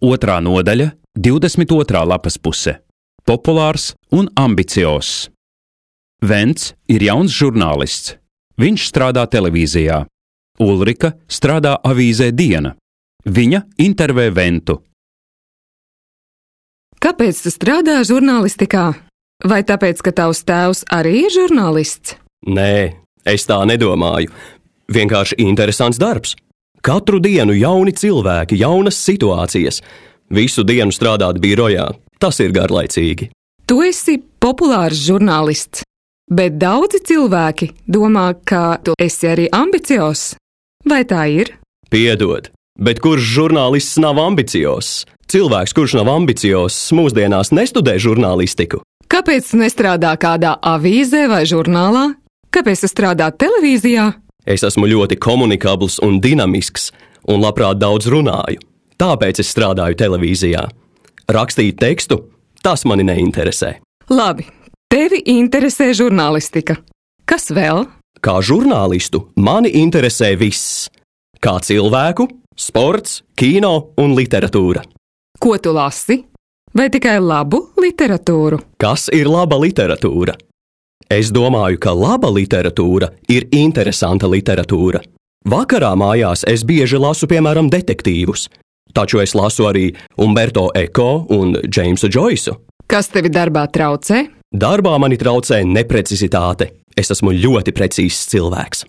2. nodaļa, 22. lapas puse. Populārs un ambiciozs. Vents ir jauns žurnālists. Viņš strādā televīzijā. Ulrika strādā avīzē Diena. Viņa intervē Ventu. Kāpēc tu strādā žurnālistikā? Vai tāpēc, ka tavs tēvs arī ir žurnālists? Nē, es tā nedomāju. Vienkārši interesants darbs. Katru dienu jauni cilvēki, jaunas situācijas. Visu dienu strādāt birojā. Tas ir garlaicīgi. Tu esi populārs žurnālists, bet daudzi cilvēki domā, ka tu esi arī ambiciozs. Vai tā ir? Piedod, bet kurš žurnālists nav ambiciozs? Cilvēks, kurš nav ambiciozs, mūsdienās nestudē žurnālistiku. Kāpēc tu nestrādā kādā avīzē vai žurnālā? Kāpēc tu strādā televīzijā? Es esmu ļoti komunikabls un dinamisks, un labprāt daudz runāju. Tāpēc es strādāju televīzijā. Rakstīt tekstu, tas mani neinteresē. Labi, tevi interesē žurnālistika. Kas vēl? Kā žurnālistu mani interesē viss. Kā cilvēku, sports, kino un literatūra. Ko tu lasi? Vai tikai labu literatūru? Kas ir laba literatūra? Es domāju, ka laba literatūra ir interesanta literatūra. Vakarā mājās es bieži lasu, piemēram, detektīvus. Taču es lasu arī Umberto Eco un Jamesu Joysu. Kas tevi darbā traucē? Darbā mani traucē neprecizitāte. Es esmu ļoti precīzs cilvēks.